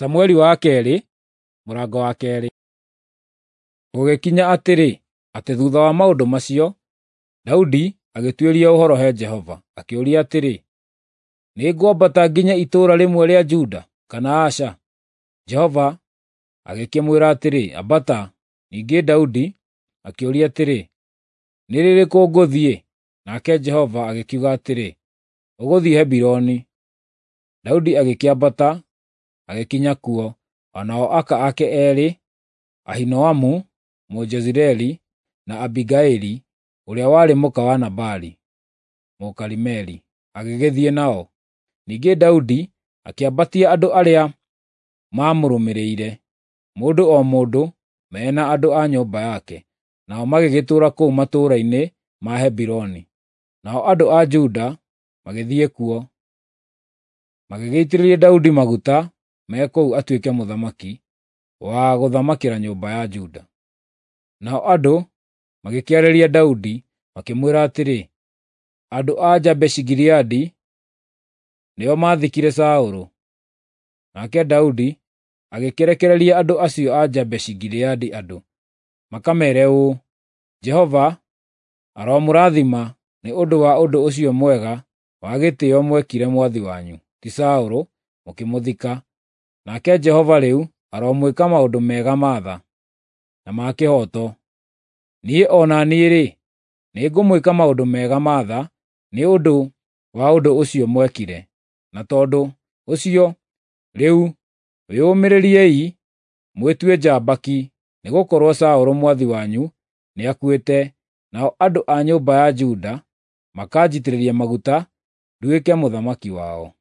Samueli wa kerĩ mũrango wa kerĩ. Gũgĩkinya atĩrĩ, atĩ thutha wa maũndũ macio, Daudi agĩtuĩria ũhoro he Jehova, akĩũria atĩrĩ, “Nĩngwambata nginye itũũra rĩmwe rĩa Juda, kana aca?” Jehova agĩkĩmwĩra atĩrĩ, “Ambata.” Ningĩ Daudi akĩũria atĩrĩ, “Nĩ rĩrĩkũ ngũthiĩ?” Nake Jehova agĩkiuga atĩrĩ, “Ũgũthiĩ Hebironi.” Daudi agĩkĩambata agĩkinya kuo, o nao aka ake eerĩ, Ahinoamu Mũjezireeli na Abigaili ũrĩa warĩ mũka wa Nabali Mũkarimeli, agĩgĩthiĩ nao. Ningĩ Daudi akĩambatia andũ arĩa maamũrũmĩrĩire, mũndũ o mũndũ me na andũ a nyũmba yake, nao magĩgĩtũũra kũu matũũra-inĩ ma Hebironi. Nao andũ a Juda magĩthiĩ kuo, magĩgĩitĩrĩria Daudi maguta me kũu atuĩke mũthamaki wa gũthamakĩra nyũmba ya Juda. Nao andũ magĩkĩarĩria Daudi, makĩmwĩra atĩrĩ, “Andũ a Jabeshi-Gileadi nĩo maathikire Saũlũ.” Nake Daudi agĩkĩrekereria andũ acio a Jabeshi-Gileadi andũ, makameere ũũ, “Jehova aromũrathima nĩ ũndũ wa ũndũ ũcio mwega wa gĩtĩĩo mwekire mwathi wanyu, ti Saũlũ, mũkĩmũthika. Nake Jehova rĩu aromwĩka maũndũ mega ma tha, na ma kĩhooto. Niĩ o na niĩ-rĩ, nĩngũmwĩka maũndũ mega ma tha nĩ ũndũ wa ũndũ ũcio mwekire. Na tondũ ũcio, rĩu wĩyũmĩrĩriei mwĩtue njamba ki, nĩgũkorwo Saũlũ mwathi wanyu nĩakuĩte, nao andũ a nyũmba ya Juda makanjitĩrĩria maguta nduĩke mũthamaki wao.”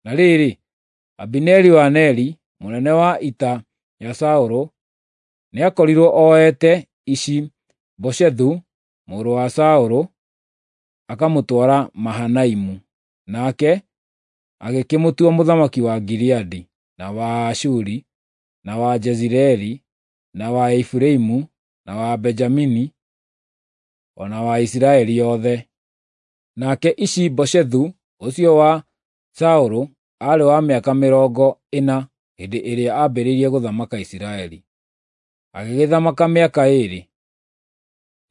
Na rĩrĩ, Abineri wa Neri, mũnene wa ita ya Saũlũ, nĩakorirwo oete Ishi-Boshethu mũrũ wa Saũlũ akamũtwara Mahanaimu, nake agĩkĩmũtua mũthamaki wa Gileadi, na wa Ashuri, na wa Jezireeli, na wa Efiraimu, na wa Benjamini, o na wa Isiraeli yothe. Nake Ishi-Boshethu ũcio wa Saũlũ aarĩ wa mĩaka 40 hĩndĩ ĩrĩa aambĩrĩirie gũthamaka Isiraeli, agĩgĩthamaka mĩaka 2.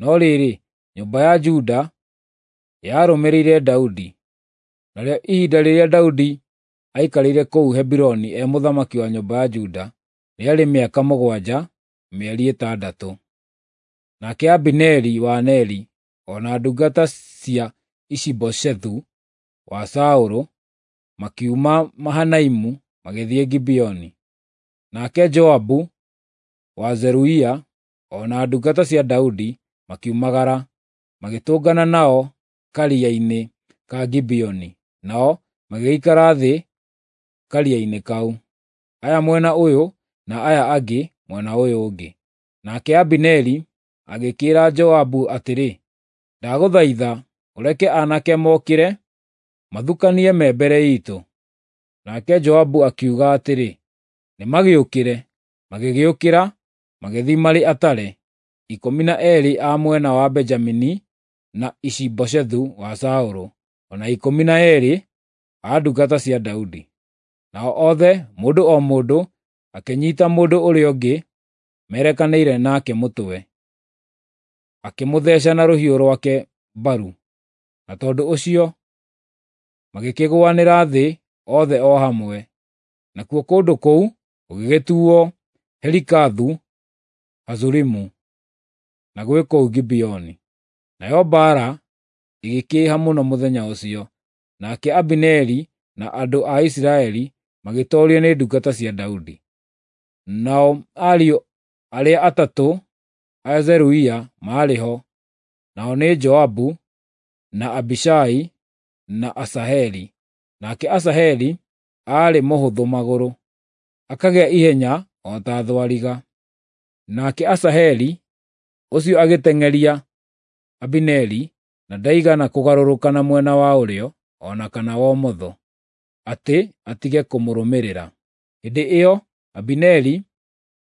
No rĩrĩ, nyũmba ya Juda yarũmĩrĩire Daudi. Narĩo ihinda rĩrĩa Daudi aikarire kũu Hebironi e mũthamaki wa nyũmba ya Juda rĩarĩ mĩaka 7 mĩeri 6. Nake Abineri wa Neri o na ndungata cia Ishi-Boshethu wa Saũlũ makiuma Mahanaimu magĩthiĩ Gibeoni. Nake Joabu wa Zeruia o na ndungata cia Daudi makiumagara, magĩtũngana nao karia-inĩ ka Gibeoni, nao magĩgĩikara thĩ karia-inĩ kau, aya mwena ũyũ na aya angĩ mwena ũyũ ũngĩ. Nake Abineri agĩkĩĩra Joabu atĩrĩ, “Ndagũthaitha ũreke aanake mokĩre mathukanie me mbere iitũ.” Nake Joabu akiuga atĩrĩ, “Nĩmagĩũkĩre.” Magĩgĩũkĩra, magĩthiĩ marĩ atare, 12 a mwena wa Benjamini na Ishi-Boshethu wa Saũlũ, o na 12 a ndungata cia Daudi. Nao othe, mũndũ o mũndũ, akĩnyiita mũndũ ũrĩa ũngĩ merekanĩire nake mũtwe, akĩmũtheeca na rũhiũ rwake mbaru, na tondũ ũcio magĩkĩgũanĩra thĩ othe o hamwe. Nakuo kũndũ kũu gũgĩgĩtuuo Helikathu-Hazurimu, na gwĩ kũu Gibeoni. Nayo mbaara ĩgĩkĩĩha mũno mũthenya ũcio, nake Abineri na andũ a Isiraeli magĩtoorio nĩ ndungata cia Daudi. Nao ariũ arĩa atatũ a Zeruia maarĩ ho, nao nĩ Joabu, na Abishai, na Asaheli. Nake Asaheli aarĩ mũhũthũ magũrũ, akagĩa ihenya o ta thwariga. Nake Asaheli ũcio agĩteng'eria Abineri, na ndaigana kũgarũrũka na mwena wa ũrĩo o na kana wa ũmotho, atĩ atige kũmũrũmĩrĩra. Hĩndĩ ĩyo Abineri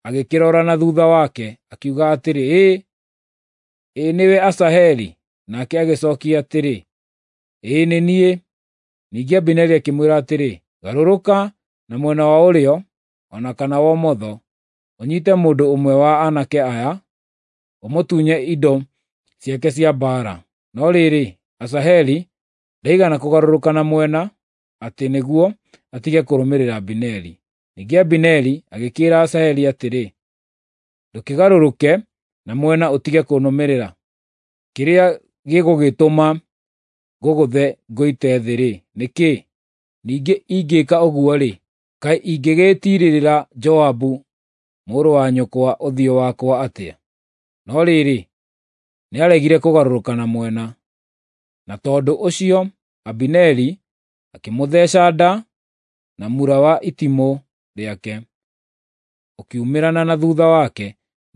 agĩkĩrora na thuutha wake, akiuga atĩrĩ, “Ĩ, ĩ nĩwe Asaheli?” Nake agĩcookia atĩrĩ, “Ĩĩ nĩ niĩ.” Ningĩ Abineri akĩmwĩra atĩrĩ, “Garũrũka na mwena wa ũrĩo o na kana wa ũmotho, ũnyiite mũndũ ũmwe wa aanake aya, ũmũtunye indo ciake cia mbaara. No rĩrĩ, Asaheli ndaigana kũgarũrũka na mwena atĩ nĩguo atige kũrũmĩrĩra Abineri. Ningĩ Abineri agĩkĩĩra Asaheli atĩrĩ, “Ndũkĩgarũrũke na mwena ũtige kũnũmĩrĩra. Kĩrĩa gĩgũgĩtũma ngũgũthe ngũite thĩ-rĩ, nĩ kĩĩ? Ningĩ ingĩĩka ũguo-rĩ, kaĩ ingĩgĩtiirĩrĩra Joabu mũrũ wa nyũkwa ũthiũ wakwa atĩa?” No rĩrĩ, nĩaregire kũgarũrũka na mwena. Na tondũ ũcio Abineri akĩmũtheeca nda na mũra wa itimũ rĩake, ũkiumĩrana na thuutha wake,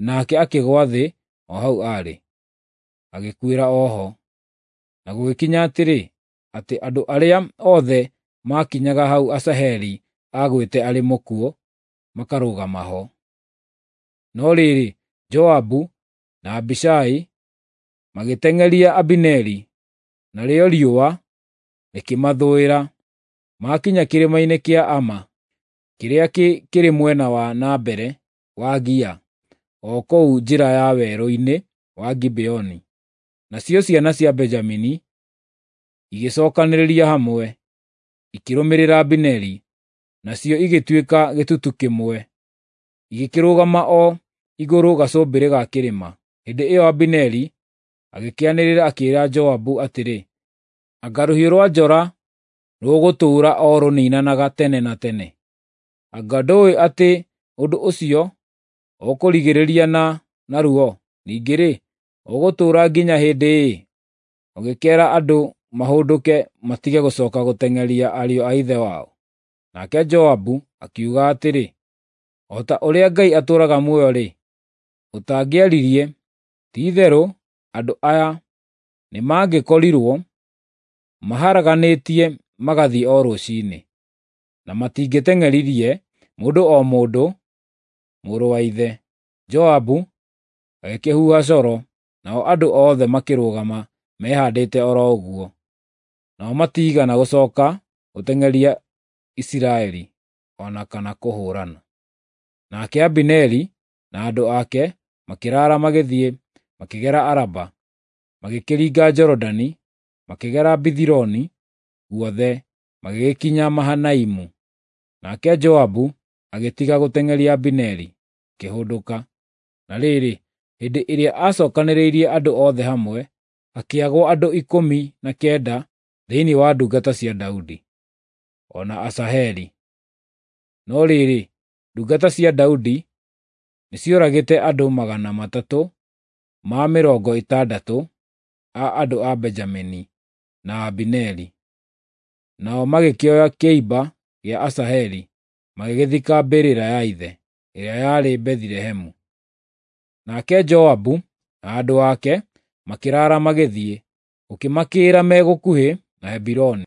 nake akĩgũa thĩ o hau aarĩ, agĩkuĩra o ho. Na gũgĩkinya atĩrĩ, atĩ andũ arĩa othe maakinyaga hau Asaheli aagwĩte arĩ mũkuũ, makarũgama ho. No rĩrĩ, Joabu na Abishai magĩteng'eria Abineri, narĩo riũa rĩkĩmathũĩra. Maakinya kĩrĩma-inĩ kĩa Ama, kĩrĩa kĩrĩ mwena wa na mbere wa Gia, o kũu njĩra ya werũ-inĩ wa Gibeoni. Nacio ciana cia Benjamini igĩcookanĩrĩria hamwe, ikĩrũmĩrĩra Abineri, nacio igĩtuĩka gĩtutu kĩmwe, igĩkĩrũgama o igũrũ gacũmbĩrĩ ga kĩrĩma. Hĩndĩ ĩyo Abineri agĩkĩanĩrĩra akĩĩra Joabu atĩrĩ, “Anga rũhiũ rwa njora rũgũtũũra o rũniinanaga tene na tene? Anga ndũũĩ atĩ ũndũ ũcio ũkũrigĩrĩria na narua? Ningĩ-rĩ, ũgũtũũra nginya hĩndĩ ĩ, ũgĩkeera andũ mahũndũke matige gũcooka gũteng'eria ariũ a ithe wao?” Nake Joabu akiuga atĩrĩ, “O ta ũrĩa Ngai atũũraga muoyo-rĩ, ũtangĩaririe, ti-itherũ andũ aya nĩmangĩkorirwo maharaganĩtie magathiĩ o rũciinĩ, na matingĩteng'eririe mũndũ o mũndũ mũrũ wa ithe.” Joabu agĩkĩhuha coro, nao andũ othe makĩrũgama mehaandĩte o ro ũguo. Nao matiigana gũcooka gũteng'eria Isiraeli o na kana kũhũũrana. Nake Abineri na andũ ake makĩraara magĩthiĩ makĩgera Araba, magĩkĩringa Jorodani, makĩgera Bithironi guothe, magĩgĩkinya Mahanaimu. Nake Joabu agĩtiga gũteng'eria Abineri, akĩhũndũka. Na rĩrĩ, hĩndĩ ĩrĩa aacookanĩrĩirie andũ othe hamwe, hakĩagwo andũ 19 thĩinĩ wa ndungata cia Daudi, o na Asaheli. No rĩrĩ, ndungata cia Daudi nĩcioragĩte andũ 360 a andũ a Benjamini na Abineri. Nao magĩkĩoya kĩimba gĩa Asaheli, magĩgĩthika mbĩrĩra ya ithe, ĩrĩa yarĩ Bethilehemu. Nake Joabu na andũ ake makĩraara magĩthiĩ, gũkĩmakĩĩra me gũkuhĩ na Hebironi.